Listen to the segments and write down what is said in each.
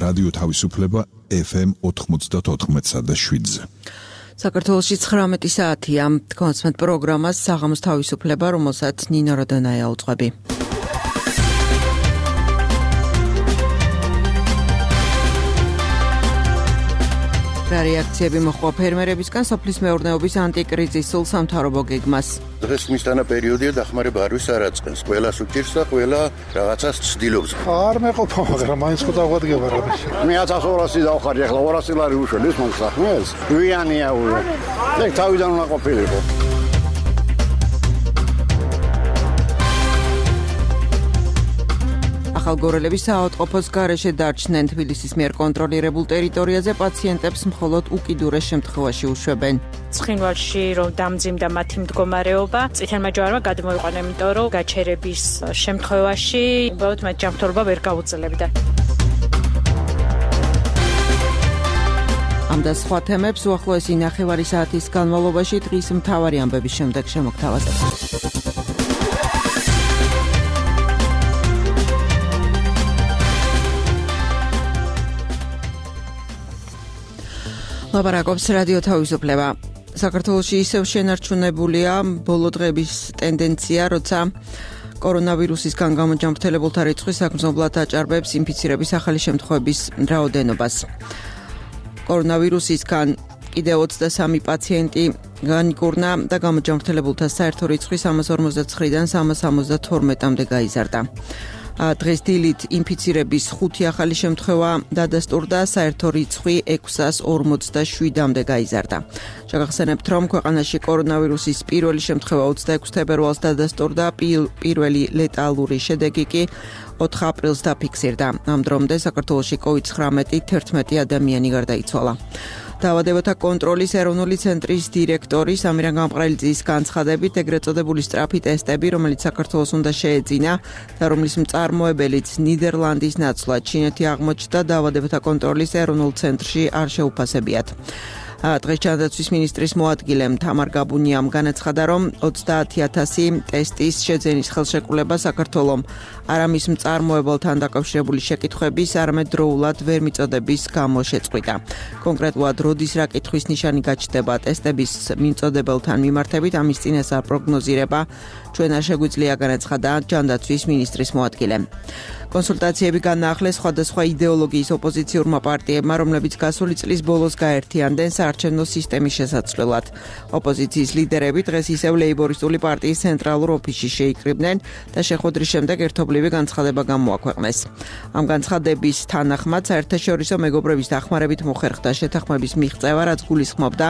რადიო თავისუფლება FM 94.7-ზე. საქართველოში 19 საათია. თქვენს პროგრამას საღამოს თავისუფლება, რომელსაც ნინო როდონაია უძღვები. რეაქციები მოხდა ფერმერებისგან სოფლის მეურნეობის ანტიკრიზისულ სამთავრობო გეგმას. დღეს მისთანა პერიოდია დახმარება არვის არ აწყენს. ყველას უჭირს და ყველა რაღაცას ცდილობს. არ მეყოფა, მაგრამ მაინც ხო დაგვადგება რამე. მე 1200 დავხარი, ახლა 200 ლარი უშველის მომსახურეს. ვიანია უე. ეგ თავიდან უნდა ყოფილიყო. ახალგორელების საავადმყოფოს გარეშე დარჩნენ. თბილისის მიერ კონტროლირებულ ტერიტორიაზე პაციენტებს მხოლოდ უკიდურეს შემთხვევაში უშვებენ. ცხინვალში რომ დამძიმდა მათი მდგომარეობა, წითელმა ჯვარმა გადმოიყვანა, იმიტომ რომ გაჩერების შემთხვევაში უბრალოდ მათ ჯანმრთელობა ვერ გაუძლებდა. ამ და სხვა თემებს უახლოესი 9 საათის განმავლობაში დღის მთავარი ამბების შემდეგ შემოგთავაზებთ. ლაპარაკობს რადიო თავისუფლება. საქართველოში ისევ შენარჩუნებულია ბოლო დღების ტენდენცია, როცა კორონავირუსისგან გამოჯანმრთელებულთა რიცხვი საგრძნობლად აჭარბებს ინფიცირების ახალი შემთხვევების რაოდენობას. კორონავირუსისგან კიდევ 23 პაციენტი განიკურნა და გამოჯანმრთელებულთა საერთო რიცხვი 359-დან 372-მდე გაიზარდა. დღეს დილით ინფიცირების 5 ახალი შემთხვევა დადასტურდა, საერთო რიცხვი 647-მდე გაიზარდა. შეგახსენებთ, რომ ქვეყანაში კორონავირუსის პირველი შემთხვევა 26 თებერვალს დადასტურდა, პირველი ლეტალური შედეგი კი 4 აპრილს დაფიქსირდა. ამ დრომდე საქართველოში COVID-19 11 ადამიანი გარდაიცვალა. დაავადებათა კონტროლის ეროვნული ცენტრის დირექტორი სამირან გამყრელიძის განცხადებით, ეგრეთ წოდებული სწრაფი ტესტები, რომელიც საქართველოს უნდა შეეძინა და რომლის მწარმოებელიც ნიდერლანდის ნაცვლად ჩინეთი აღმოჩნდა, დაავადებათა კონტროლის ეროვნულ ცენტრში არ შეუფასებიათ. დღეს ჯანდაცვის მინისტრის მოადგილემ თამარ გაბუნიამ განაცხადა, რომ 30,000 ტესტის შეძენის ხელშეკრულება საქართველომ არა მის მწარმოებელთან დაკავშირებული შეკითხვების, არამედ დროულად ვერ მიწოდების გამო შეწყვიტა. კონკრეტულად, როდის რა კითხვის ნიშანი გაჩნდება ტესტების მიმწოდებელთან მიმართებით, ამის წინასწარ პროგნოზირება ჩვენ არ შეგვიძლია, განაცხადა ჯანდაცვის მინისტრის მოადგილემ. კონსულტაციები განაახლეს სხვადასხვა იდეოლოგიის ოპოზიციურმა პარტიებმა, რომლებიც გასული წლის ბოლოს გაერთიანდნენ საარჩევნო სისტემის შესაცვლელად. ოპოზიციის ლიდერები დღეს ისევ ლეიბორისტული პარტიის ცენტრალურ ოფისში შეიკრიბნენ და შეხვედრის შემდეგ ერთობლივი განცხადება გამოაქვეყნეს. ამ განცხადების თანახმად საერთაშორისო მეგობრების დახმარებით მოხერხდა შეთანხმების მიღწევა, რაც გულისხმობდა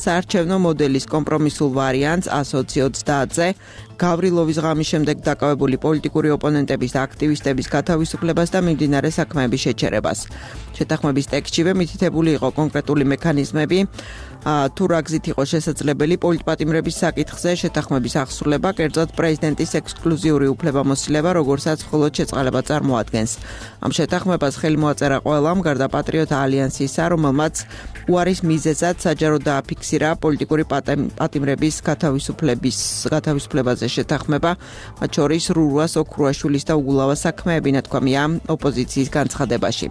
საარჩევნო მოდელის კომპრომისულ ვარიანტს 120-ზე, გავრილოვის ღამის შემდეგ დაკავებული პოლიტიკური ოპონენტების და აქტივისტების გათავისუფლებას და მიმდინარე საქმეების შეჩერებას. შეთანხმების ტექსტშივე მითითებული იყო კონკრეტული მექანიზმები, თუ რა გზით იყო შესაძლებელი პოლიტპატიმრების საკითხზე შეთანხმების აღსრულება, კერძოდ პრეზიდენტის ექსკლუზიური უფლებამოსილება, როგორცაც მხოლოდ შეწყალება წარმოადგენს. ამ შეთანხმებას ხელი მოაწერა ყველამ, გარდა პატრიოტთა ალიანსისა, რომელმაც უარის მიზეზად საჯაროდ დააფიქსირა პოლიტიკური პატიმრების გათავისუფლებაზე შეთანხმება, მათ შორის რურუას ოქრუაშვილის და უგულავას საქმეები, ნათქვამია ოპოზიციის განცხადებაში.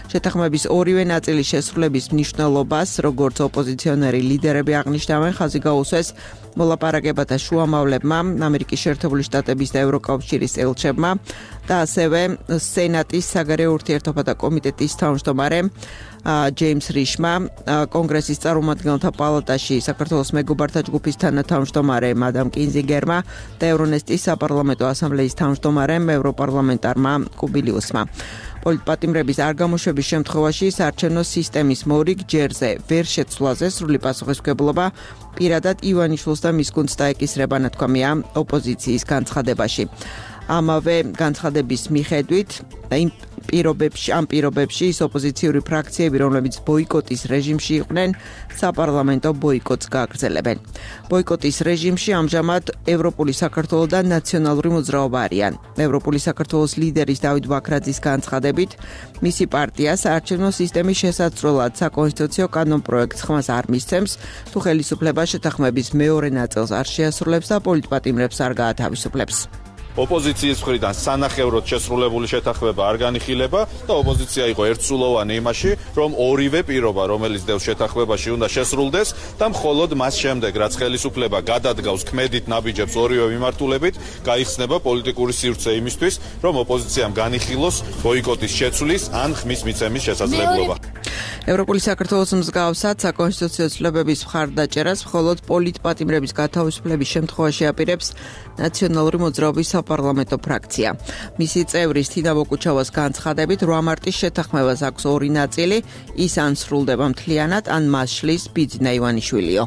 შეთანხმების ორივე ნაწილის შესრულების მნიშვნელობას, როგორც ოპოზიციონერი ლიდერები აღნიშნავენ, ხაზი გაუსვეს მოლაპარაკებათა შუამავლებმა, ამერიკის შეერთებული შტატების და ევროკავშირის ელჩებმა და ასევე სენატის საგარეო ურთიერთობათა კომიტეტის თავმჯდომარემ ჯეიმს რიშმა, კონგრესის წარმომადგენელთა პალატაში საქართველოს მეგობართა ჯგუფის თანათავმჯდომარემ ადამ კინზინგერმა და ევრონესტის საპარლამენტო ასამბლეის თავმჯდომარემ ევროპარლამენტარმა კუბილიუსმა. პოლიტპატიმრების არ გამოშვების შემთხვევაში საარჩევნო სისტემის მორიგ ჯერზე ვერ შეცვლაზე სრული პასუხისმგებლობა პირადად ივანიშვილს და მის გუნდს დაეკისრება, ნათქვამია ოპოზიციის განცხადებაში. ამავე განცხადების მიხედვით ამ პირობებში ის ოპოზიციური ფრაქციები, რომლებიც ბოიკოტის რეჟიმში იყვნენ, საპარლამენტო ბოიკოტს გააგრძელებენ. ბოიკოტის რეჟიმში ამჟამად ევროპული საქართველო და ნაციონალური მოძრაობა არიან. ევროპული საქართველოს ლიდერის დავით ბაქრაძის განცხადებით, მისი პარტია საარჩევნო სისტემის შესაცვლელად საკონსტიტუციო კანონპროექტს ხმას არ მისცემს, თუ ხელისუფლება შეთანხმების მეორე ნაწილს არ შეასრულებს და პოლიტპატიმრებს არ გაათავისუფლებს. ოპოზიციის მხრიდან სანახევროდ შესრულებული შეთანხმება არ განიხილება და ოპოზიცია იყო ერთსულოვანი იმაში, რომ ორივე პირობა, რომელიც დევს შეთანხმებაში, უნდა შესრულდეს და მხოლოდ მას შემდეგ, რაც ხელისუფლება გადადგავს ქმედით ნაბიჯებს ორივე მიმართულებით, გაიხსნება პოლიტიკური სივრცე იმისთვის, რომ ოპოზიციამ განიხილოს ბოიკოტის შეცვლის ან ხმის მიცემის შესაძლებლობა. ევროპული საქართველოს მსგავსად საკონსტიტუციო ცვლილებების მხარდაჭერას მხოლოდ პოლიტპატიმრების გათავისუფლების შემთხვევაში აპირებს ნაციონალური მოძრაობის საპარლამენტო ფრაქცია. მისი წევრის თინა ბოკუჩავას განცხადებით 8 მარტის შეთანხმებას აქვს ორი ნაწილი, ის ან სრულდება მთლიანად, ან მას შლის ბიძინა ივანიშვილიო.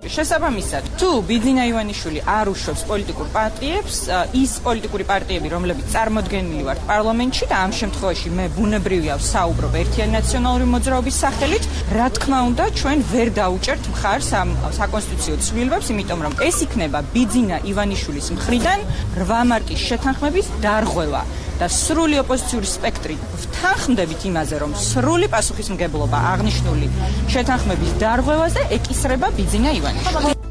შესაბამისად, თუ ბიძინა ივანიშვილი არ უშვებს პოლიტიკურ პარტიებს, ის პოლიტიკური პარტიები, რომლებიც წარმოდგენილი ვართ პარლამენტში და ამ შემთხვევაში მე ბუნებრივია ვსაუბრობ ერთიანი ნაციონალური მოძრაობის სახელით, რა თქმა უნდა, ჩვენ ვერ დაუჭერთ მხარს ამ საკონსტიტუციო ცვლილებებს, იმიტომ რომ ეს იქნება ბიძინა ივანიშვილის მხრიდან 8 მარტის შეთანხმების დარღვევა. და სრული ოპოზიციური სპექტრი ვთანხმდებით იმაზე, რომ სრული პასუხისმგებლობა აღნიშნული შეთანხმების დარღვევაზე ეკისრება ბიძინა ივანიშვილი.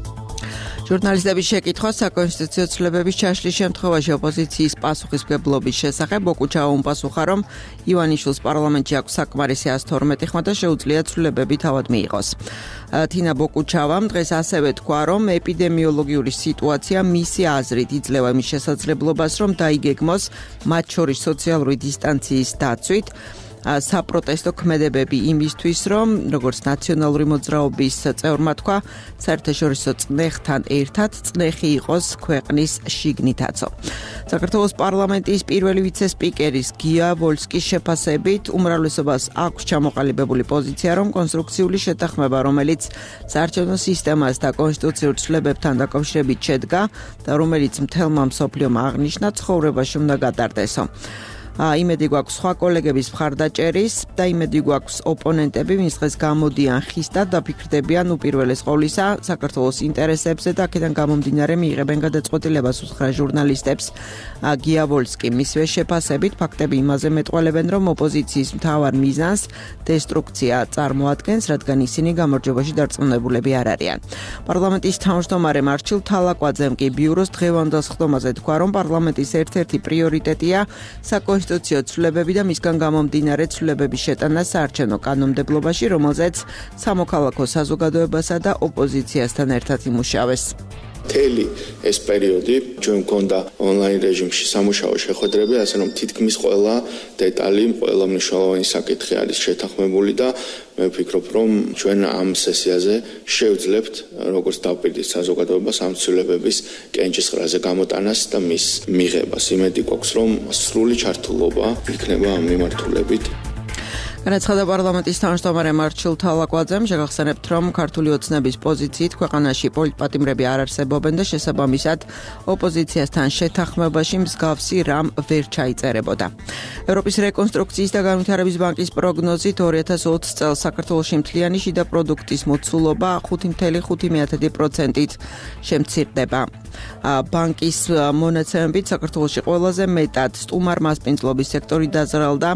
ჟურნალისტების შეკითხვა საკონსტიტუციო ცვლილებების ჩაშლის შემთხვევაში ოპოზიციის პასუხისმგებლობის შესახებ ბოკუჩავა უპასუხა, რომ ივანიშვილს პარლამენტში აქვს საკმარისი 112 ხმა და შეუძლია ცვლილებები თავად მიიღოს. თინა ბოკუჩავამ დღეს ასევე თქვა, რომ ეპიდემიოლოგიური სიტუაცია მისი აზრით იძლევა იმის შესაძლებლობას, რომ დაიგეგმოს მათ შორის სოციალური დისტანციის დაცვით საპროტესტო ქმედებები იმისთვის, რომ როგორც ნაციონალური მოძრაობის წევრმა თქვა, საერთაშორისო წნეხთან ერთად წნეხი იყოს ქვეყნის შიგნითაცო. საქართველოს პარლამენტის პირველი ვიცე-სპიკერის გია ვოლსკის შეფასებით უმრავლესობას აქვს ჩამოყალიბებული პოზიცია, რომ კონსტრუქციული შეთანხმება, რომელიც საარჩევნო სისტემას და კონსტიტუციურ ცვლილებებთან დაკავშირებით შედგა და რომელიც მთელმა მსოფლიომ აღნიშნა, ცხოვრებაში უნდა გატარდესო. იმედი გვაქვს სხვა კოლეგების მხარდაჭერის და იმედი გვაქვს ოპონენტები, ვინც დღეს გამოდიან ხისტად და ფიქრდებიან უპირველეს ყოვლისა საქართველოს ინტერესებზე და აქედან გამომდინარე მიიღებენ გადაწყვეტილებას უთხრა ჟურნალისტებს გია ვოლსკი. მისვე შეფასებით ფაქტები იმაზე მეტყველებენ, რომ ოპოზიციის მთავარ მიზანს დესტრუქცია წარმოადგენს, რადგან ისინი გამარჯვებაში დარწმუნებულები არ არიან. პარლამენტის თავმჯდომარე მარჩილ თალაკვაძემ კი ბიუროს დღევანდელ სხდომაზე თქვა, რომ პარლამენტის ერთ-ერთი პრიორიტეტია საკონსტიტუციო ცვლილებები და მისგან გამომდინარე ცვლილებების შეტანა საარჩევნო კანონმდებლობაში, რომელზეც სამოქალაქო საზოგადოებასა და ოპოზიციასთან ერთად იმუშავეს. მთელი ეს პერიოდი ჩვენ გვქონდა ონლაინ რეჟიმში სამუშაო შეხვედრები, ასე რომ თითქმის ყველა დეტალი, ყველა მნიშვნელოვანი საკითხი არის შეთანხმებული და მე ვფიქრობ, რომ ჩვენ ამ სესიაზე შევძლებთ როგორც დავპირდით საზოგადოებას ამ ცვლილებების კენჭისყრაზე გამოტანას და მის მიღებას. იმედი გვაქვს, რომ სრული ჩართულობა იქნება ამ მიმართულებით. განაცხადა პარლამენტის თავმჯდომარე მარჩილ თალაკვაძემ, შეგახსენებთ, რომ ქართული ოცნების პოზიციით ქვეყანაში პოლიტპატიმრები არ არსებობენ და შესაბამისად ოპოზიციასთან შეთანხმებაში მსგავსი რამ ვერ ჩაიწერებოდა. ევროპის რეკონსტრუქციის და განვითარების ბანკის პროგნოზით 2020 წელს საქართველოში მთლიანი შიდა პროდუქტის მოცულობა 5.5%-ით შემცირდება. ბანკის მონაცემებით საქართველოში ყველაზე მეტად სტუმარ-მასპინძლობის სექტორი დაზრალდა,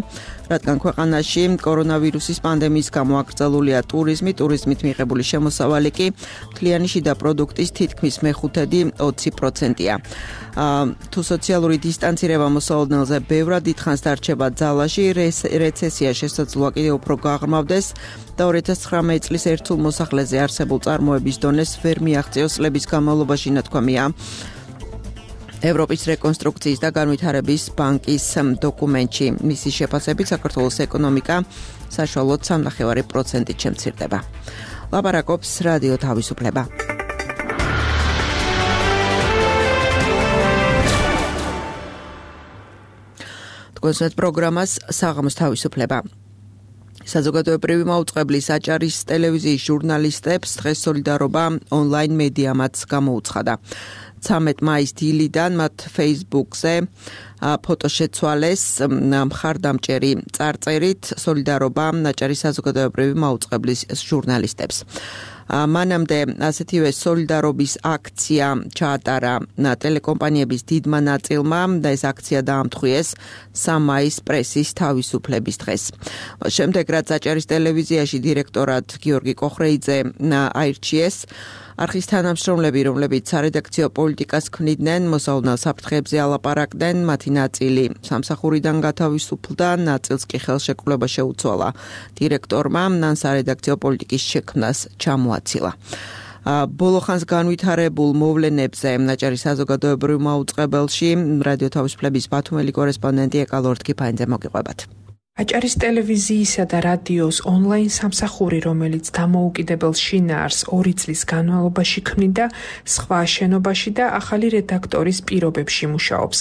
რადგან ქვეყანაში კორონავირუსის პანდემიის გამო აკრძალულია ტურიზმით მიღებული შემოსავალი კი მთლიანი შიდა პროდუქტის თითქმის მეხუთედი 20%-ია. თუ სოციალური დისტანცირება მოსალოდნელზე ბევრად დიდხანს დარჩება ძალაში, რეცესია შესაძლოა კიდევ უფრო გაღრმავდეს და 2019 წლის ერთულ მოსახლეზე არსებულ წარმოების დონეს ვერ მიაღწიოს წლების განმავლობაში, ნათქვამია ევროპის რეკონსტრუქციის და განვითარების ბანკის დოკუმენტში. მისი შეფასებით საქართველოს ეკონომიკა საშუალოდ 3.5%-ით შემცირდება. ლაპარაკობს რადიო თავისუფლება. თქვენს პროგრამას საღამოს თავისუფლება. საზოგადოებრივი მაუწყებლის აჭარის ტელევიზიის ჟურნალისტებს დღეს სოლიდარობა ონლაინ მედიამაც გამოუცხადა. 13 მაის დილიდან მათ Facebook-ზე ფოტო შეცვალეს მხარდამჭერი წარწერით სოლიდარობა აჭარის საზოგადოებრივი მაუწყებლის ჟურნალისტებს. მანამდე ასეთივე სოლიდარობის აქცია ჩაატარა ტელეკომპანიების დიდმა ნაწილმა და ეს აქცია დაამთხვიეს 3 მაის პრესის თავისუფლების დღეს. შემდეგ რაც აჭარის ტელევიზიაში დირექტორად გიორგი კოხრეიძე აირჩიეს, არხის თანამშრომლები, რომლებიც სარედაქციო პოლიტიკას ქმნიდნენ, მოსავალ საფრთხეებზე ალაპარაკდნენ, მათი ნაწილი სამსახურიდან გათავისუფლდა, ნაწილს კი ხელშეკრულება შეუცვალა. დირექტორმა მან სარედაქციო პოლიტიკის შექმნას ჩამოაცილა. ბოლო ხანს განვითარებულ მოვლენებზე ნაჭარის საზოგადოებრივ მაუწყებელში რადიო თავისუფლების ბათუმელი კორესპონდენტი ეკალორდ კიფაინძე მოგიყვებათ. აჭარის ტელევიზიისა და რადიოს ონლაინ სამსახური, რომელიც დამოუკიდებელ შინაარსს 2 წლის განმავლობაში ქმნიდა სხვა შენობაში და ახალი რედაქტორის პირობებში მუშაობს.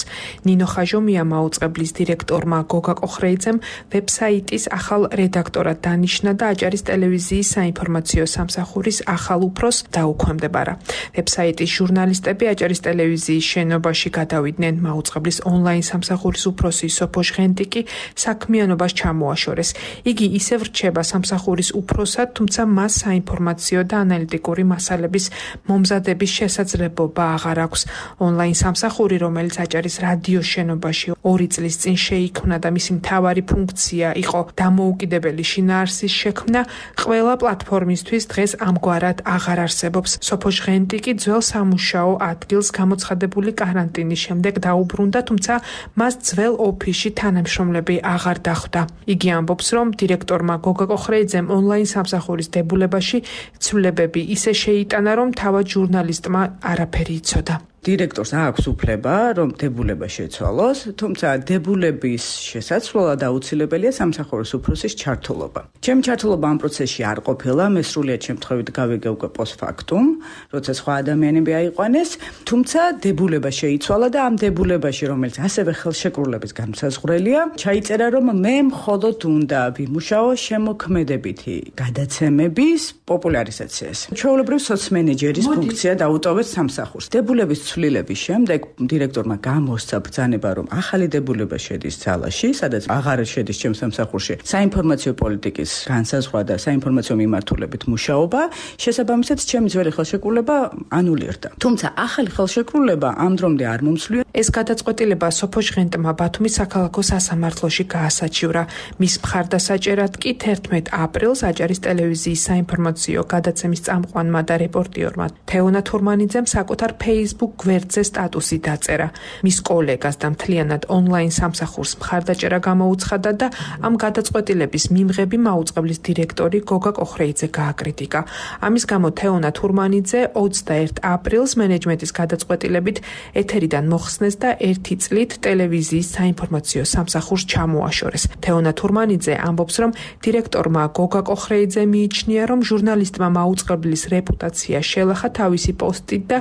ნინო ხაჟომია მაუწყებლის დირექტორმა გოგა კოხრეიძემ ვებსაიტის ახალ რედაქტორად დანიშნა და აჭარის ტელევიზიის საინფორმაციო სამსახურის ახალ უფროსს დაუქვემდებარა. ვებსაიტის ჟურნალისტები აჭარის ტელევიზიის შენობაში გადავიდნენ. მაუწყებლის ონლაინ სამსახურის უფროსი სოფო ჟღენტიკი საქმიანობა ჩამოაშორეს. იგი ისევ რჩება სამსახურის უფროსად, თუმცა მას საინფორმაციო და ანალიტიკური მასალების მომზადების შესაძლებლობა აღარ აქვს. ონლაინ სამსახური, რომელიც აჭარის რადიოს შენობაში 2 წლის წინ შეიქმნა და მისი მთავარი ფუნქცია იყო დამოუკიდებელი შინაარსის შექმნა, ყველა პლატფორმისთვის დღეს ამგვარად აღარ არსებობს. სოფო ჟღენტიკი ძველ სამუშაო ადგილს გამოცხადებული კარანტინის შემდეგ დაუბრუნდა, თუმცა მას ძველ ოფისში თანამშრომლები აღარ დახვდა. იგი ამბობს, რომ დირექტორმა გოგა კოხრეიძემ ონლაინ სამსახურის დებულებაში ცვლილებები ისე შეიტანა, რომ თავად ჟურნალისტმა არაფერი იცოდა. დირექტორს აქვს უფლება, რომ დებულება შეცვალოს, თუმცა დებულების შესაცვლელად აუცილებელია სამსახურის უფროსის ჩართულობა. ჩემი ჩართულობა ამ პროცესში არ ყოფილა, მე სრულიად შემთხვევით გავიგე უკვე პოსტფაქტუმ, როცა სხვა ადამიანები აიყვანეს, თუმცა დებულება შეიცვალა და ამ დებულებაში, რომელიც ასევე ხელშეკრულების განმსაზღვრელია, ჩაიწერა, რომ მე მხოლოდ უნდა ვიმუშაო შემოქმედებითი გადაცემების პოპულარიზაციას. ჩვეულებრივ სოცმენეჯერის ფუნქცია დაუტოვეთ სამსახურს. დებულების ცვლილების შემდეგ დირექტორმა გამოსცა ბრძანება, რომ ახალი დებულება შედის ძალაში, სადაც აღარ შედის ჩემ სამსახურში საინფორმაციო პოლიტიკის განსაზღვრა და საინფორმაციო მიმართულებით მუშაობა, შესაბამისად ჩემი ძველი ხელშეკრულება ანულირდა. თუმცა ახალი ხელშეკრულება ამ დრომდე არ მომცვლია. ეს გადაწყვეტილება სოფო ჟღენტმა ბათუმის საქალაქო სასამართლოში გაასაჩივრა. მის მხარდასაჭერად კი 11 აპრილს აჭარის ტელევიზიის საინფორმაციო გადაცემის წამყვანმა და რეპორტიორმა თეონა თურმანიძემ საკუთარ Facebook გვერდზე სტატუსი დაწერა. მის კოლეგას და მთლიანად ონლაინ სამსახურს მხარდაჭერა გამოუცხადა და ამ გადაწყვეტილების მიმღები მაუწყებლის დირექტორი გოგა კოხრეიძე გააკრიტიკა. ამის გამო თეონა თურმანიძე 21 აპრილს მენეჯმენტის გადაწყვეტილებით ეთერიდან მოხსნეს და 1 წლით ტელევიზიის საინფორმაციო სამსახურს ჩამოაშორეს. თეონა თურმანიძე ამბობს, რომ დირექტორმა გოგა კოხრეიძე მიიჩნია, რომ ჟურნალისტმა მაუწყებლის რეპუტაცია შელახა თავისი პოსტით და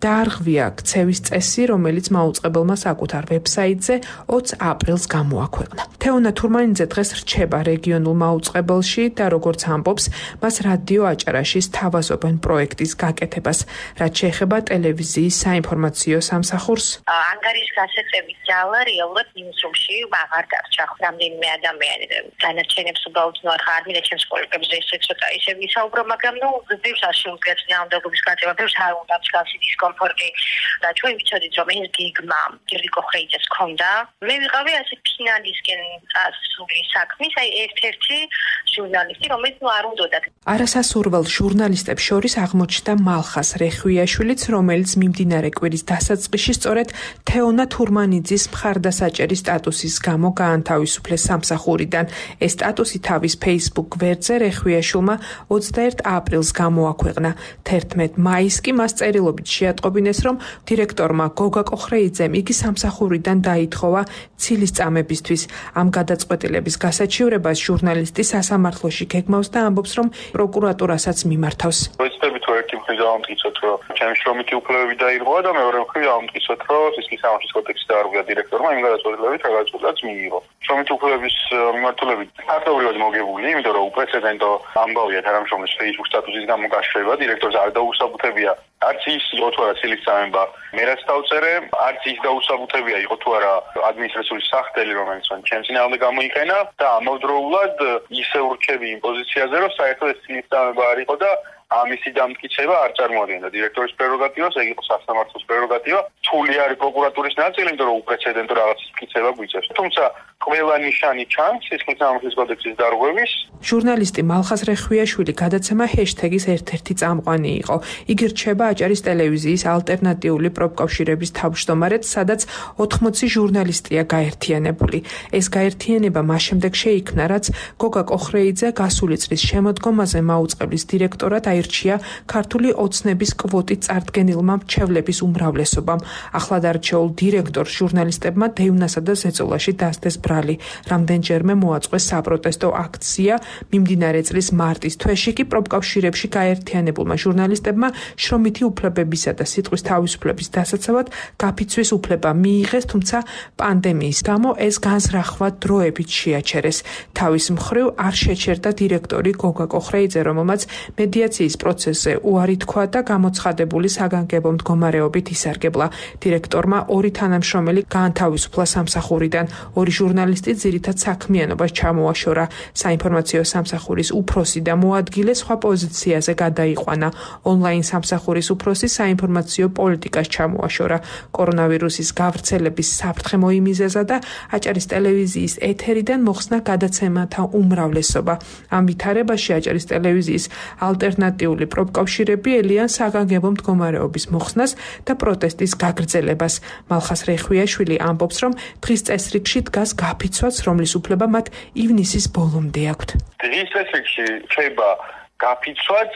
დაარღვია ქცევის წესი, რომელიც მაუწყებელმა საკუთარ ვებსაიტზე 20 აპრილს გამოაქვეყნა. თეონა თურმანიძე დღეს რჩება რეგიონულ მაუწყებელში და როგორც ამბობს, მას რადიო აჭარაში სთავაზობენ პროექტის გაკეთებას, რაც შეეხება ტელევიზიის საინფორმაციო სამსახურს. ანგარიშ გასაწევის ძალა რეალურად ნიუსრუმში აღარ დარჩა. რამდენიმე ადამიანი განაჩენებს უბრალოდ ხარ მინდა ჩემს კოლეგებზე ესე ცოტა ისე ვისაუბრო, მაგრამ ბევრს არ შეუძლიათ ნამდვილობის გაწევა, ბევრს არ უნდა მსგავსი დისკომფორტი და ჩვენ ვიცოდით, რომ ეს გიგმა გიორგი კოხრეიძეს ჰქონდა. მე ვიყავი ასე ფინალისკენ წასული საქმის, აი ერთ-ერთი ჟურნალისტი, რომელიც არ უნდათ. არასასურველ ჟურნალისტებს შორის აღმოჩნდა მალხას რეხვიაშვილიც, რომელიც მიმდინარე კვირის დასაწყისში სწორედ თეონა თურმანიძის მხარდასაჭერის სტატუსის გამო გაანთავისუფლეს სამსახურიდან. ეს სტატუსი თავის Facebook გვერდზე რეხვიაშვილმა 21 აპრილს გამოაქვეყნა. 11 მაისს კი მას წერილობით შეატყობინეს, რომ დირექტორმა გოგა კოხრეიძემ იგი სამსახურიდან დაითხოვა ცილის წამებისთვის. ამ გადაწყვეტილების გასაჩივრებას ჟურნალისტი სასამართლოში გეგმავს და ამბობს, რომ პროკურატურასაც მიმართავს. ვეცდებით რომ ერთი მხრივ დავამტკიცოთ, რომ ჩემი შრომითი უფლებები დაირღვა და მეორე მხრივ დავამტკიცოთ, რომ სისხლის სამართლის კოდექსი დაარღვია დირექტორმა იმ გადაწყვეტილებით, რა გადაწყვეტილებაც მიიღო. შრომითი უფლებების მიმართულებით ფაქტობრივად მოგებული, იმიტომ რომ უპრეცედენტო ამბავია თანამშრომლის Facebook სტატუსის გამოგაშრება, დირექტორს არ დაუსაბუთებია არც ის იყო თუ არა ცილის წამება, მე რაც დავწერე, არც ის დაუსაბუთებია იყო თუ არა ადმინისტრაციული სახდელი, რომელიც მან ჩემს წინააღმდეგ გამოიყენა და ამავდროულად ისე ურჩები იმ პოზიციაზე, რომ საერთოდ ეს ცილის წამება არ იყო და ამისი დამტკიცება არ წარმოადგენდა დირექტორის პრეროგატივას, ეგ იყო სასამართლოს პრეროგატივა. თული არის პროკურატურის ნაწილი, იმიტომ რომ უპრეცედენტო რაღაცის მტკიცება გვიწევს. თუმცა ყველა ნიშანი ჩანს სისხლის სამართლის კოდექსის დარღვევის. ჟურნალისტი მალხაზ რეხვიაშვილი გადაცემა ჰეშთეგის ერთ-ერთი წამყვანი იყო. იგი რჩება აჭარის ტელევიზიის ალტერნატიული პროფკავშირების თავმჯდომარედ, სადაც 80 ჟურნალისტია გაერთიანებული. ეს გაერთიანება მას შემდეგ შეიქმნა, რაც გოგა კოხრეიძე გასული წლის შემოდგომაზე მაუწყებლის დირექტორად აირჩია ქართული ოცნების კვოტით წარდგენილმა მრჩევლების უმრავლესობამ. ახლად არჩეულ დირექტორს ჟურნალისტებმა დევნასა და ზეწოლაში დასდეს ბრალი. რამდენჯერმე მოაწყვეს საპროტესტო აქცია. მიმდინარე წლის მარტის თვეში კი პროფკავშირებში გაერთიანებულმა ჟურნალისტებმა შრომითი უფლებებისა და სიტყვის თავისუფლების დასაცავად გაფიცვის უფლება მიიღეს, თუმცა პანდემიის გამო ეს განზრახვა დროებით შეაჩერეს. თავის მხრივ არ შეჩერდა დირექტორი გოგა კოხრეიძე, რომელმაც მედიაციის პროცესზე უარი თქვა და გამოცხადებული საგანგებო მდგომარეობით ისარგებლა. დირექტორმა 2 თანამშრომელი გაანთავისუფლა სამსახურიდან. 2 ჟურნალისტი ძირითად საქმიანობას ჩამოაშორა. საინფორმაციო სამსახურის უფროსი და მოადგილე სხვა პოზიციაზე გადაიყვანა. ონლაინ სამსახურის უფროსი საინფორმაციო პოლიტიკას ჩამოაშორა. კორონავირუსის გავრცელების საფრთხე მოიმიზეზა და აჭარის ტელევიზიის ეთერიდან მოხსნა გადაცემათა უმრავლესობა. ამ ვითარებაში აჭარის ტელევიზიის ალტერნატიული პროფკავშირები ელიან საგანგებო მდგომარეობის მოხსნას და პროტესტის გაგრძელებას. მალხაზ რეხვიაშვილი ამბობს, რომ დღის წესრიგში დგას გაფიცვაც, რომლის უფლება მათ ივნისის ბოლომდე აქვთ. დღის წესრიგში რჩება გაფიცვაც,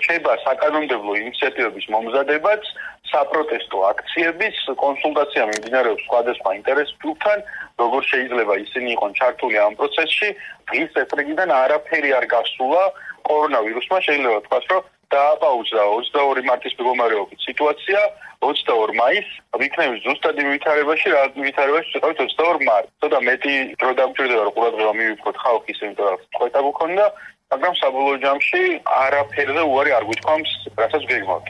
რჩება საკანონმდებლო ინიციატივების მომზადებაც, საპროტესტო აქციების კონსულტაცია მიმდინარეობს სხვადასხვა ინტერეს ჯგუფთან, როგორ შეიძლება ისინი იყვნენ ჩართული ამ პროცესში. დღის წესრიგიდან არაფერი არ გასულა. კორონავირუსმა შეიძლება თქვას, რომ დააპაუზა 22 მარტის მდგომარეობით სიტუაცია, 22 მაისს ვიქნებით ზუსტად იმ ვითარებაში, რა ვითარებაში ვიყავით 22 მარტს. ცოტა მეტი დრო დამჭირდება, რომ ყურადღება მივიქოთ ხალხის, იმიტომ რომ წყვეტა გქონდა, მაგრამ საბოლოო ჯამში არაფერზე უარი არ გვითქვამს, რასაც გეგმავთ.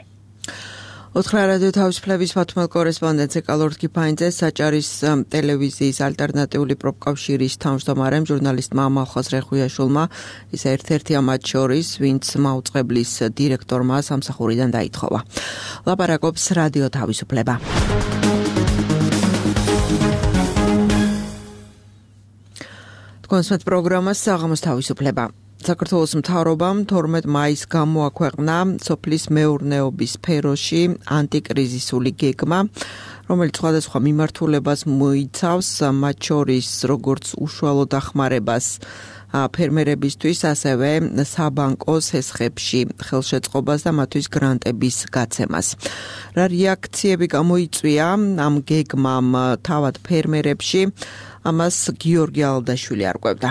ოთხრა რადიო თავისუფლების მათმელ კორესპონდენტზე კალორდ კიფაინძე, საჭარის ტელევიზიის ალტერნატიული პროფკავშირის თავმჯდომარემ ჟურნალისტმა მალხაზ რეხვიაშვილმა, ის ერთ-ერთია მათ შორის, ვინც მაუწყებლის დირექტორმა სამსახურიდან დაითხოვა. ლაპარაკობს რადიო თავისუფლება. თქვენს პროგრამას საღამოს თავისუფლება. საქართველოს მთავრობამ 12 მაისს გამოაქვეყნა სოფლის მეურნეობის სფეროში ანტიკრიზისული გეგმა, რომელიც სხვადასხვა მიმართულებას მოიცავს, მათ შორის როგორც უშუალო დახმარებას ფერმერებისთვის, ასევე საბანკო სესხებში ხელშეწყობას და მათთვის გრანტების გაცემას. რა რეაქციები გამოიწვია ამ გეგმამ თავად ფერმერებში, ამას გიორგი ალდაშვილი არკვევდა.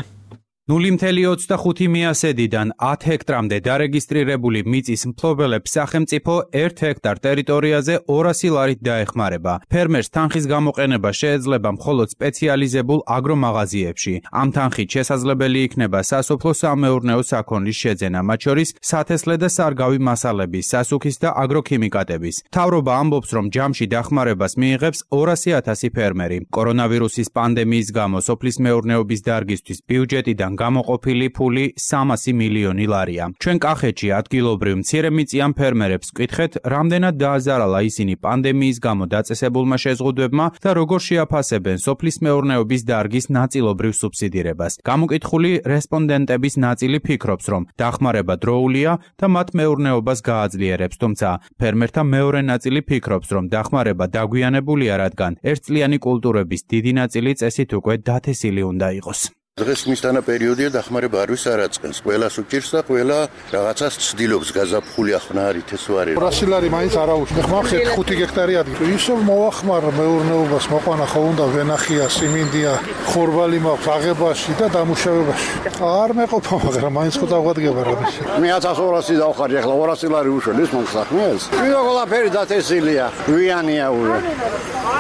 0.25 მიასედიდან 10 ჰექტრამდე დარეგისტრირებული მიწის მფლობელებს სახელმწიფო 1 ჰექტარ ტერიტორიაზე 200 ლარით დაეხმარება. ფერმერს თანხის გამოყენება შეეძლება მხოლოდ სპეციალიზებულ აგრომაღაზიებში. ამ თანხით შესაძლებელი იქნება სასოფლო-სამეურნეო საქონლის შეძენა, მათ შორის სათესლე და სარგავი მასალების, სასუქის და აგროქიმიკატების. მთავრობა ამბობს, რომ ჯამში დახმარებას მიიღებს 200,000 ფერმერი. კორონავირუსის პანდემიის გამო სოფლის მეურნეობის დარგისთვის ბიუჯეტიდან გამოყოფილი ფული 300 მილიონი ლარია. ჩვენ კახეთში ადგილობრივ მცირემიწიან ფერმერებს ვკითხეთ, რამდენად დააზარალა ისინი პანდემიის გამო დაწესებულმა შეზღუდვებმა და როგორ შეაფასებენ სოფლის მეურნეობის დარგის ნაწილობრივ სუბსიდირებას. გამოკითხული რესპონდენტების ნაწილი ფიქრობს, რომ დახმარება დროულია და მათ მეურნეობას გააძლიერებს, თუმცა ფერმერთა მეორე ნაწილი ფიქრობს, რომ დახმარება დაგვიანებულია, რადგან ერთწლიანი კულტურების დიდი ნაწილი წესით უკვე დათესილი უნდა იყოს. დღეს მისთანა პერიოდია დახმარება არ ვის არაწყენს. ყველას უჭირს და ყველა რაღაცას ცდილობს გაზაფხული ახლა არის ეს ვარი. 200 ლარი მაინც არ აუშვა. ხმახეთ 5 ჰექტარი ადგილი. ისევ მოახმარა მეურნეობას, მოყვანა ხო უნდა ვენახია, სიმინდია, ხორბალი მაქვს აღებაში და დამუშავებაში. არ მეყოფა, მაგრამ მაინც ხო დაგვადგება რამეში. მე 1200 დავხარი, ახლა 200 ლარი უშველის მომსახმელს. ვიღა ყველაფერი დათესილია, ვიანია ურე.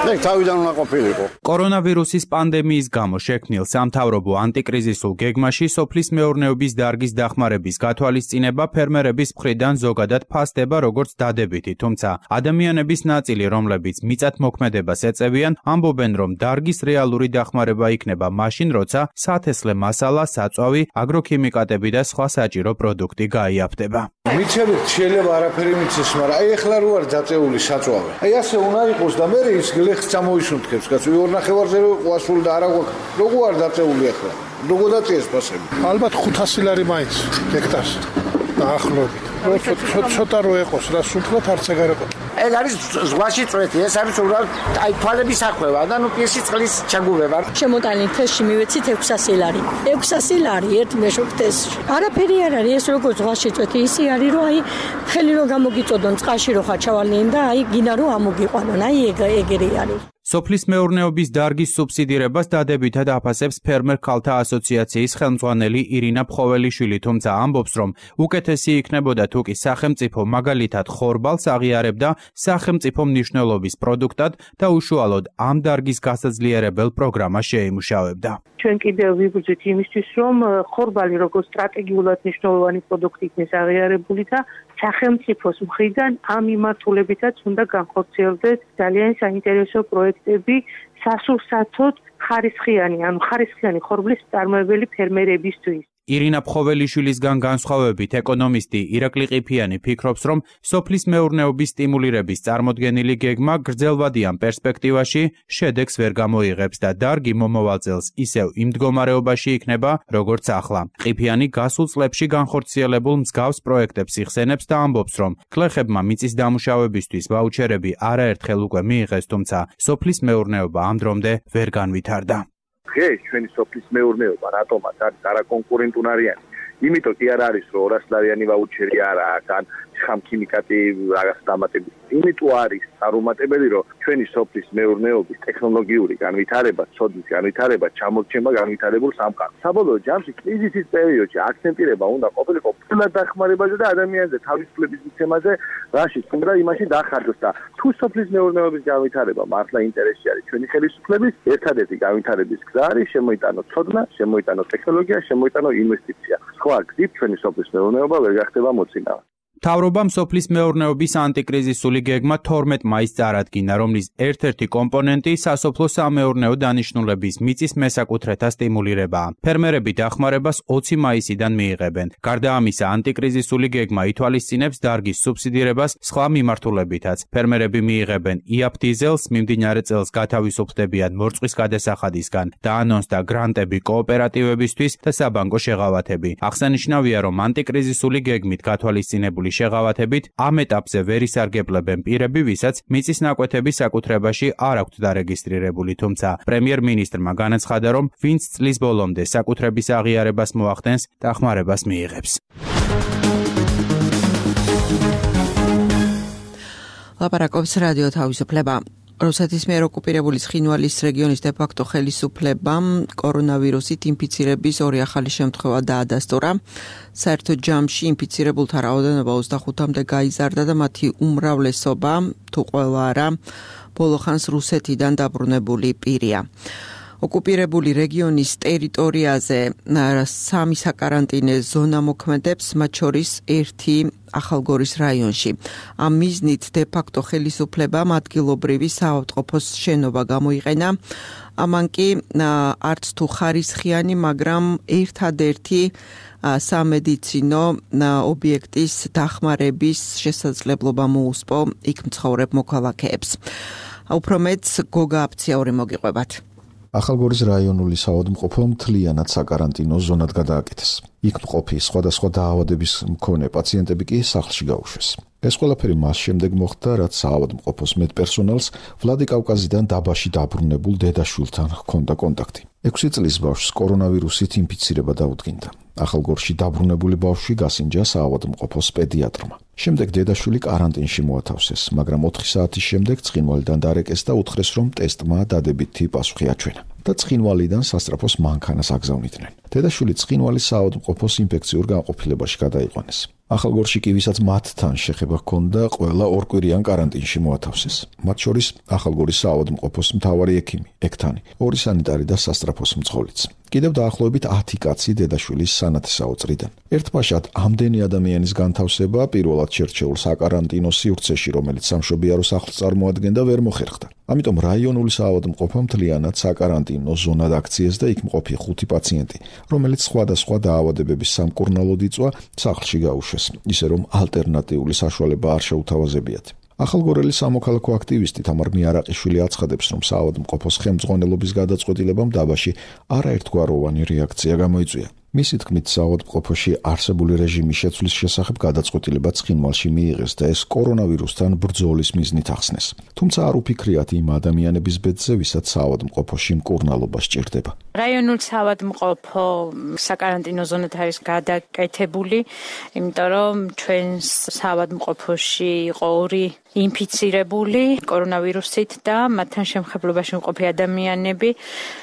ეგ თავიდან უნდა ყოფილიყო. კორონავირუსის პანდემიის გამო შექმნილ სამთავრობო ანტიკრიზისულ გეგმაში სოფლის მეურნეობის დარგის დახმარების გათვალისწინება ფერმერების მხრიდან ზოგადად ფასდება როგორც დადებითი, თუმცა ადამიანების ნაწილი, რომლებიც მიწათმოქმედებას ეწევიან, ამბობენ, რომ დარგის რეალური დახმარება იქნება მაშინ, როცა სათესლე მასალა, საწვავი, აგროქიმიკატები და სხვა საჭირო პროდუქტი გაიაფდება. მიცემით შეიძლება არაფერი მიცეს, მაგრამ აი ეხლა რო არის დაწეული საწვავი. აი ასე უნდა იყოს და მე ის გლეხს წამოისუნთქებს, კაცო, 2.5-ზე რო ყواسული და არა გვაქვს. როგორ არის დაწეული ახლა? როგორ დაწიეს ფასები? ალბათ 500 ლარი მაინც ჰექტარს დაახლოებით. ცოტა რო ეყოს, რა სულთლად არც ეგ არ ეყოს. ეს არის ზღვაში წვეთი, ეს არის უბრალოდ აი თვალების ახვევა და ნუ პირში წყლის ჩაგურება. შემოტანილი თესში მივეცით 600 ლარი. 600 ლარი ერთ მეშვიდ თესში. არაფერი არ არის, ეს როგორც ზღვაში წვეთი, ისი არის, რომ აი ხელი რო გამოგიწოდონ წყალში რო ხაჩავალნიან და აი გინა რო ამოგიყვანონ, აი ეგერი არის. სოფლის მეურნეობის დარგის სუბსიდირებას დადებითად აფასებს ფერმერ ქალთა ასოციაციის ხელმძღვანელი ირინა ფხოველიშვილი, თუმცა ამბობს, რომ უკეთესი იქნებოდა თუ კი სახელმწიფო მაგალითად ხორბალს აღიარებდა სახელმწიფო მნიშვნელობის პროდუქტად და უშუალოდ ამ დარგის გასაძლიერებელ პროგრამას შეიმუშავებდა. ჩვენ კიდევ ვიბრძვით იმისთვის, რომ ხორბალი როგორც სტრატეგიულად მნიშვნელოვანი პროდუქტი იქნეს აღიარებული და სახელმწიფოს მხრიდან ამ მიმართულებითაც უნდა განხორციელდეს ძალიან საინტერესო პროექტები სასურსათოდ ხარისხიანი ხორბლის მწარმოებელი ფერმერებისთვის. ირინა ფხოველიშვილისგან განსხვავებით ეკონომისტი ირაკლი ყიფიანი ფიქრობს, რომ სოფლის მეურნეობის სტიმულირების წარმოდგენილი გეგმა გრძელვადიან პერსპექტივაში შედეგს ვერ გამოიღებს და დარგი მომავალ წელს ისევ იმ მდგომარეობაში იქნება, როგორც ახლა. ყიფიანი გასულ წლებში განხორციელებულ მსგავს პროექტებს იხსენებს და ამბობს, რომ გლეხებმა მიწის დამუშავებისთვის ვაუჩერები არაერთხელ უკვე მიიღეს, თუმცა სოფლის მეურნეობა ამ დრომდე ვერ განვითარდა. ეს ჩვენი სოფლის მეურნეობა რატომაც არის არაკონკურენტუნარიანი. იმიტომ კი არ არის, რომ 200 ლარიანი ვაუჩერი არა აქვს, ან ხამქიმიკატი რაღაც დამატებული. იმიტომ არის არუმატებელი, რომ ჩვენი სოფლის მეურნეობის ტექნოლოგიური განვითარება, ცოდნის განვითარება ჩამორჩება განვითარებულ სამყაროს. საბოლოო ჯამში კრიზისის პერიოდში აქცენტირება უნდა ყოფილიყო ფულად დახმარებაზე და ადამიანზე თავისუფლების მიცემაზე, რაშიც უნდა იმაში დახარჯოს და თუ სოფლის მეურნეობის განვითარება მართლა ინტერესი არის ჩვენი ხელისუფლების, ერთადერთი განვითარების გზა არის შემოიტანო ცოდნა, შემოიტანო ტექნოლოგია, შემოიტანო ინვესტიცია. სხვა გზით ჩვენი სოფლის მეურნეობა ვერ გახდება მოწინავე. მთავრობამ სოფლის მეურნეობის ანტიკრიზისული გეგმა 12 მაისს წარადგინა, რომლის ერთ-ერთი კომპონენტი სასოფლო-სამეურნეო დანიშნულების მიწის მესაკუთრეთა სტიმულირებაა. ფერმერები დახმარებას 20 მაისიდან მიიღებენ. გარდა ამისა, ანტიკრიზისული გეგმა ითვალისწინებს დარგის სუბსიდირებას სხვა მიმართულებითაც. ფერმერები მიიღებენ იაფ დიზელს, მიმდინარე წელს გათავისუფლდებიან მორწყვის გადასახადისგან, დაანონსდა გრანტები კოოპერატივებისთვის და საბანკო შეღავათები. აღსანიშნავია, რომ ანტიკრიზისული გეგმით გათვალისწინებული შეღავათებით ამ ეტაპზე ვერ ისარგებლებენ პირები, ვისაც მიწის ნაკვეთების საკუთრებაში არ აქვთ დარეგისტრირებული, თუმცა პრემიერ-მინისტრმა განაცხადა, რომ ვინც წლის ბოლომდე საკუთრების აღიარებას მოახდენს, დახმარებას მიიღებს. ლაპარაკობს რადიო თავისუფლება. რუსეთის მიერ ოკუპირებული ცხინვალის რეგიონის დე-ფაქტო ხელისუფლებამ კორონავირუსით ინფიცირების ორი ახალი შემთხვევა დაადასტურა. საერთო ჯამში ინფიცირებულთა რაოდენობა 25-მდე გაიზარდა და მათი უმრავლესობა, თუ ყველა არა, ბოლო ხანს რუსეთიდან დაბრუნებული პირია. ოკუპირებული რეგიონის ტერიტორიაზე 3 საკარანტინე ზონა მოქმედებს, მათ შორის 1 ახალგორის რაიონში. ამ მიზნით დე-ფაქტო ხელისუფლებამ ადგილობრივი საავადმყოფოს შენობა გამოიყენა. ამან კი არც თუ ხარისხიანი, მაგრამ ერთადერთი სამედიცინო ობიექტის დახმარების შესაძლებლობა მოუსპო იქ მცხოვრებ მოქალაქეებს. უფრო მეც გოგა აფციაური მოგიყვებათ. ახალგორის რაიონული საავადმყოფო მთლიანად საკარანტინო ზონად გადააკეთეს. იქ მყოფი სხვადასხვა დაავადების მქონე პაციენტები კი სახლში გაუშვეს. ეს ყველაფერი მას შემდეგ მოხდა, რაც საავადმყოფოს მედპერსონალს ვლადიკავკაზიდან დაბაში დაბრუნებულ დედაშვილთან ჰქონდა კონტაქტი. 6 წლის ბავშვს კორონავირუსით ინფიცირება დაუდგინდა. ახალგორში დაბრუნებული ბავშვი გასინჯა საავადმყოფოს პედიატრმა. შემდეგ დედაშვილი კარანტინში მოათავსეს, მაგრამ 4 საათის შემდეგ ცხინვალიდან დარეკეს და უთხრეს, რომ ტესტმა დადებითი პასუხი აჩვენა და ცხინვალიდან სასწრაფოს მანქანას აგზავნიდნენ. დედაშვილი ცხინვალის საავადმყოფოს ინფექციურ განყოფილებაში გადაიყვანეს. ახალგორში კი ვისაც მათთან შეხება ჰქონდა, ყველა ორკვირიან კარანტინში მოათავსეს. მათ შორის ახალგორის საავადმყოფოს მთავარი ექიმი, ექთანი, 2 სანიტარი და სასწრაფოს მძღოლიც. კიდევ დაახლოებით 10 კაცი დედაშვილის სანათესაო წრიდან. ერთბაშად ამდენი ადამიანის განთავსება პირველად შერჩეულ საკარანტინო სივრცეში, რომელიც სამშობიარო სახლს წარმოადგენდა, ვერ მოხერხდა. ამიტომ რაიონული საავადმყოფო მთლიანად საკარანტინო ზონად აქციეს და იქ მყოფი 5 პაციენტი, რომელიც სხვადასხვა დაავადებების სამკურნალოდ იწვა, სახლში გაუშვეს, ისე რომ ალტერნატიული საშუალება არ შეუთავაზებიათ. ახალგორელი სამოქალაქო აქტივისტი თამარ მიარაყიშვილი აცხადებს, რომ საავადმყოფოს ხელმძღვანელობის გადაწყვეტილებამ დაბაში არაერთგვაროვანი რეაქცია გამოიწვია. მისი თქმით, საავადმყოფოში არსებული რეჟიმის შეცვლის შესახებ გადაწყვეტილება ცხინვალში მიიღეს და ეს კორონავირუსთან ბრძოლის მიზნით ახსნეს. თუმცა არ უფიქრიათ იმ ადამიანების ბედზე, ვისაც საავადმყოფოში მკურნალობა სჭირდება. რაიონულ საავადმყოფო საკარანტინო ზონად არის გადაკეთებული, იმიტომ რომ ჩვენს საავადმყოფოში იყო 2 ინფიცირებული კორონავირუსით და მათთან შემხებლობაში მყოფი ადამიანები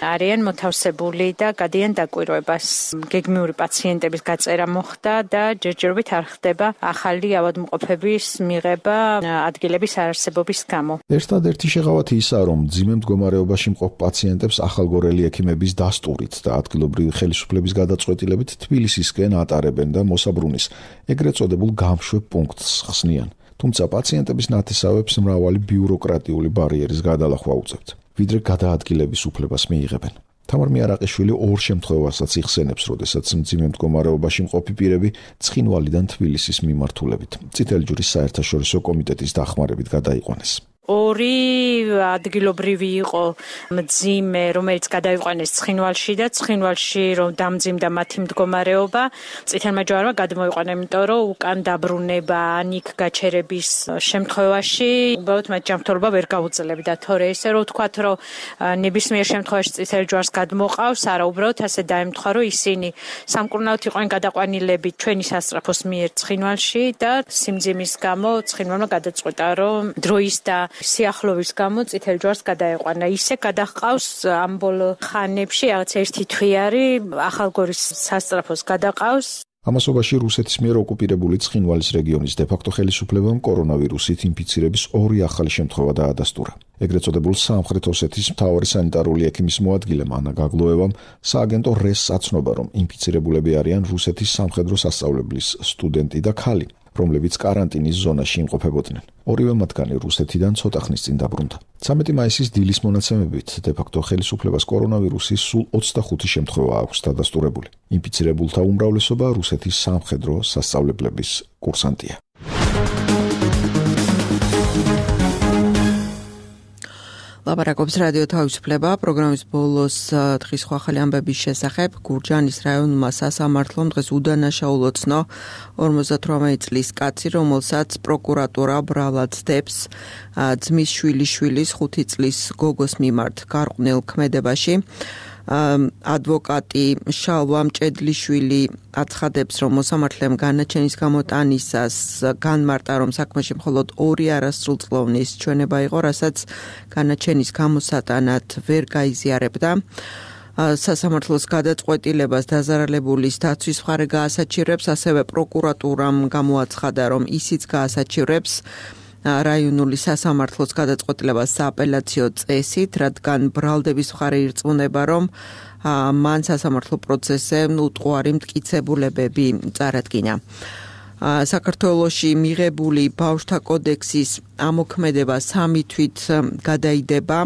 არიან მოთავსებული და გადიან დაკვირვებას. გეგმიური პაციენტების გაწერა მოხდა და ჯერჯერობით არ ხდება ახალი ავადმყოფების მიღება ადგილების არარსებობის გამო. ერთადერთი შეღავათი ისაა, რომ მძიმე მდგომარეობაში მყოფ პაციენტებს ახალგორელი ექიმების დასტურით და ადგილობრივი ხელისუფლების გადაწყვეტილებით თბილისისკენ ატარებენ და მოსაბრუნის ეგრეთ წოდებულ გამშვებ პუნქტს ხსნიან. თუმცა პაციენტების ნათესავებს მრავალი ბიუროკრატიული ბარიერის გადალახვა უწევთ, ვიდრე გადაადგილების უფლებას მიიღებენ. თამარ მიარაყიშვილი 2 შემთხვევასაც იხსენებს, როდესაც მძიმე მდგომარეობაში მყოფი პირები ცხინვალიდან თბილისის მიმართულებით წითელი ჯვრის საერთაშორისო კომიტეტის დახმარებით გადაიყვანეს. 2 ადგილობრივი იყო მძიმე, რომელიც გადაიყვანეს ცხინვალში და ცხინვალში რომ დამძიმდა მათი მდგომარეობა, წითელმა ჯვარმა გადმოიყვანა, იმიტომ რომ უკან დაბრუნება, ანიქ გაჩერების შემთხვევაში უბრალოდ მათ ჯანმრთელობა ვერ გაუძლებდა. თორე ესე რომ ვთქვათ, რომ ნებისმიერ შემთხვევაში წითელ ჯვარს გადმოყავს, არა, უბრალოდ ასე დაემთხვა, რომ ისინი სამკურნალოდ იყვნენ გადაყვანილები ჩვენი სასწრაფოს მიერ ცხინვალში და სიმძიმის გამო ცხინვალმა გადაწყვეტა, რომ დროის და სიახლოვის გამო წითელ ჯვარს გადაეყვანა. ისე გადაჰყავს ამ ბოლო ხანებში რაღაც 1 თვიანი ახალგორის სასწრაფოს გადაყავს. ამასობაში რუსეთის მიერ ოკუპირებული ცხინვალის რეგიონის დე-ფაქტო ხელისუფლებამ კორონავირუსით ინფიცირების 2 ახალი შემთხვევა დაადასტურა. ეგრეთ წოდებულ სამხრეთ ოსეთის მთავარი სანიტარული ექიმის მოადგილემ ანა გაგლოევამ სააგენტო რესს აცნობა, რომ ინფიცირებულები არიან რუსეთის სამხედრო სასწავლებლის სტუდენტი და ქალი, რომლებიც კარანტინის ზონაში იმყოფებოდნენ. 2 მათგანი რუსეთიდან ცოტა ხნის წინ დაბრუნდა. 13 მაისის დილის მონაცემებით დე-ფაქტო ხელისუფლებას კორონავირუსის სულ 25 შემთხვევა აქვს დადასტურებული. ინფიცირებულთა უმრავლესობა რუსეთის სამხედრო სასწავლებლების კურსანტია. ლაპარაკობს რადიო თავისუფლება, პროგრამის ბოლოს დღის სხვა ახალი ამბების შესახებ. გურჯაანის რაიონულმა სასამართლომ დღეს უდანაშაულო ცნო 58 წლის კაცი, რომელსაც პროკურატურა ბრალად ცდებს ძმის შვილიშვილის 5 წლის გოგოს მიმართ გარყვნილ ქმედებაში. ადვოკატი შალვა მჭედლიშვილი აცხადებს, რომ მოსამართლემ განაჩენის გამოტანისას განმარტა, რომ საქმეში მხოლოდ 2 არასრულწლოვნის ჩვენება იყო, რასაც განაჩენის გამოსატანად ვერ გაიზიარებდა. სასამართლოს გადაწყვეტილებას დაზარალებულის დაცვის მხარე გაასაჩივრებს, ასევე პროკურატურამ გამოაცხადა, რომ ისიც გაასაჩივრებს რაიონული სასამართლოს გადაწყვეტილებას სააპელაციო წესით, რადგან ბრალდების მხარე ირწმუნება, რომ მან სასამართლო პროცესზე უტყუარი მტკიცებულებები წარადგინა. საქართველოში მიღებული ბავშვთა კოდექსის ამოქმედება 3 თვით გადაიდება.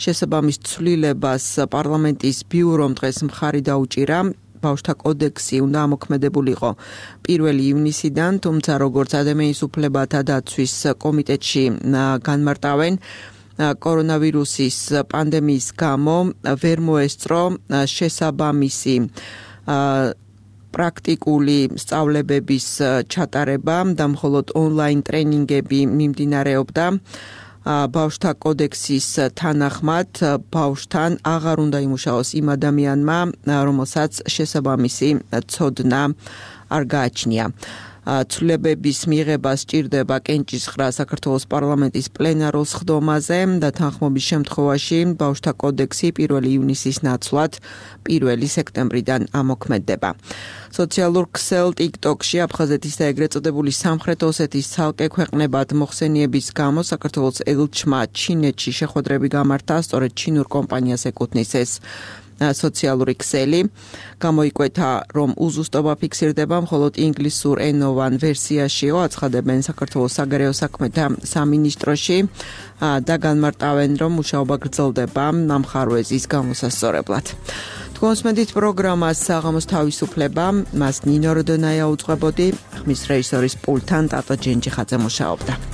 შესაბამის ცვლილებას პარლამენტის ბიურომ დღეს მხარი დაუჭირა. ბავშვთა კოდექსი უნდა ამოქმედებულიყო 1 ივნისიდან, თუმცა როგორც ადამიანის უფლებათა დაცვის კომიტეტში განმარტავენ, კორონავირუსის პანდემიის გამო ვერ მოესწრო შესაბამისი პრაქტიკული სწავლებების ჩატარება და მხოლოდ ონლაინ ტრენინგები მიმდინარეობდა. ბავშვთა კოდექსის თანახმად ბავშვთან აღარ უნდა იმუშაოს იმ ადამიანმა, რომელსაც შესაბამისი ცოდნა არ გააჩნია. ცვლილებების მიღება სჭირდება კენჭისყრა საქართველოს პარლამენტის პლენარულ სხდომაზე და თანხმობის შემთხვევაში ბავშვთა კოდექსი 1 ივნისის ნაცვლად 1 სექტემბრიდან ამოქმედდება. სოციალურ ქსელ TikTok-ში აფხაზეთის და ეგრეთ წოდებული სამხრეთ ოსეთის ცალკე ქვეყნებად მოხსენიების გამო საქართველოს ელჩმა ჩინეთში შეხვედრები გამართა, სწორედ ჩინურ კომპანიას ეკუთვნის ეს სოციალური ქსელი. გამოიკვეთა, რომ უზუსტობა ფიქსირდება მხოლოდ ინგლისურ ენოვან ვერსიაშიო, აცხადებენ საქართველოს საგარეო საქმეთა სამინისტროში და განმარტავენ, რომ მუშაობა გრძელდება ნამხარვეზის გამოსასწორებლად. კონსმედით პროგრამას საღამოს თავისუფლება, მას ნინო როდონაია უძღვებოდი, ხმის რეჟისორის პულტთან ტატო ჯენჯიხაძე მუშაობდა.